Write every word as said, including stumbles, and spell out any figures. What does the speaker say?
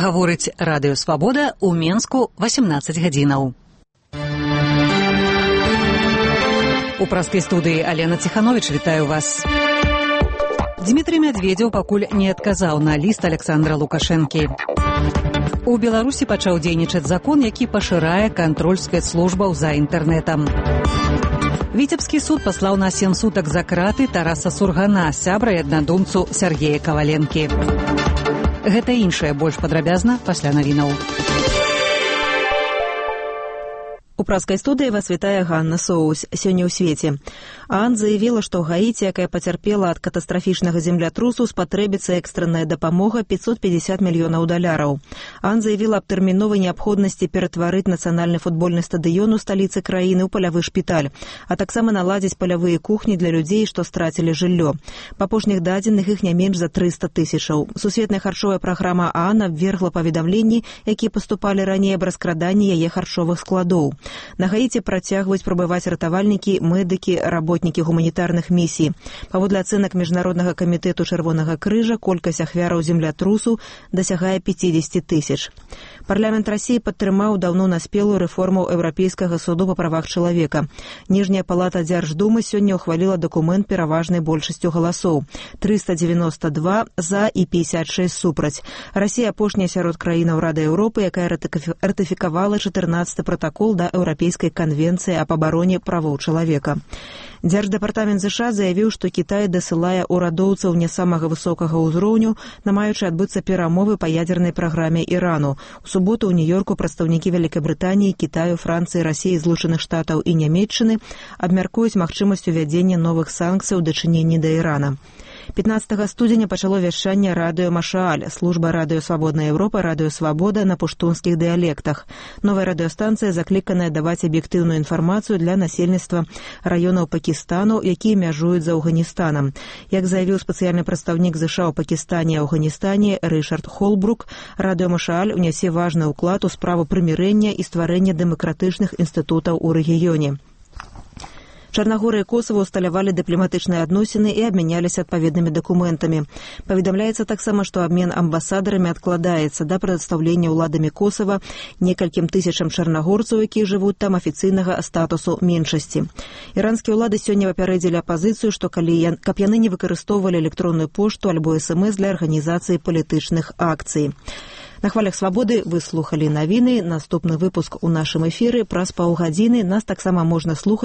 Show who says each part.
Speaker 1: Гаворыць радыё Свабода ў Менску васемнаццаць гадзінаў. У праскай студыі Алена Ціхановіч, вітаю вас. Дмітрий Медведзеў пакуль не адказаў на ліст Александра Лукашэнкі. У Беларусі пачаў дзейнічаць закон, які пашырае кантроль спецслужбаў за інтэрнэтам. Віцебскі суд паслаў на сем сутак за краты Тараса Сургана, сябра і аднадумцу Сергея Каваленкі. Гэта іншае больш падрабязна пасля навінаў.
Speaker 2: У праскай студыі вас вітае Ганна Соус. Сёння ў свеце. ААН заявіла, што Гаіці, якая пацярпела ад катастрафічнага землятрусу, спатрэбіцца экстранная дапамога пятьсот пятьдесят мільёнаў даляраў. ААН заявіла аб тэрміновай неабходнасці ператварыць нацыянальны футбольны стадыён у сталіцы краіны ў палявы шпіталь, а таксама наладзіць палявыя кухні для людзей, што страцілі жыллё. Па апошніх дадзеных іх не менш за трыста тысячаў. Сусветная харчовая праграма ААН абвергла паведамленні, якія паступалі раней аб раскраданні яе харчовых складоў. На Гаіці працягваюць прабываць ратавальнікі, медыкі, работнікі гуманітарных місій. Паводле ацэнак Міжнароднага камітэту Чырвонага крыжа, колькасць ахвяраў землятрусу дасягае пятьдесят тысяч. Парламент Расіі падтрымаў даўно наспелую рэформу Еўрапейскага суду па правах чалавека. Ніжняя палата Дзярждумы сёння ўхваліла дакумент пераважнай большасцю галасоў. триста девяносто два за і пятьдесят шесть супраць. Расія апошняя сярод краінаў Рады Еўропы, якая ратыфікавала чатырнаццаты пратакол да Еўрапейскай канвенцыі аб абароне правоў чалавека. Дзярждэпартамент ЗША заявіў, што Кітай дасылае ўрадоўцаў не самага высокага ўзроўню, намаючы адбыцца перамовы па ядзернай праграме Ірану. У суботу ў Нью-Йорку прадстаўнікі Вялікабрытаніі, Кітаю, Францыі, Расіі, Злучаных Штатаў і Нямецчыны абмяркуюць магчымасць увядзення новых санкцый у дачыненні да Ірана. пятнаццатага студзеня пачало вяшчанне радыё Машааль, служба радыё Свабодная Еўропа, радыё Свабода на пуштунскіх дыялектах. Новая радыёстанцыя закліканая даваць аб'ектыўную інфармацыю для насельніцтва раёнаў Пакістану, якія мяжуюць з Афганістанам. Як заявіў спецыяльны прадстаўнік ЗША ў Пакістане і Афганістане Рышард Холбрук, радыё Машааль унясе важны ўклад у справу прымірэння і стварэння дэмакратычных інстытутаў у рэгіёне. Чарнагорыя і Косава ўсталявалі дыпламатычныя адносіны і абмяняліся адпаведнымі дакументамі. Паведамляецца таксама, што абмен амбасадарамі адкладаецца да прадстаўлення ўладамі Косава некалькім тысячам чарнагорцаў, якія жывуць там, афіцыйнага статусу меншасці. Іранскія ўлады сёння папярэдзілі апазіцыю, што калі каб яны не выкарыстоўвалі электронную пошту альбо эс-эм-эс для арганізацыі палітычных акцый. На хвалях Свабоды вы слухалі навіны. Наступны выпуск у нашым эфіры праз паўгадзіны. Нас таксама можна слухаць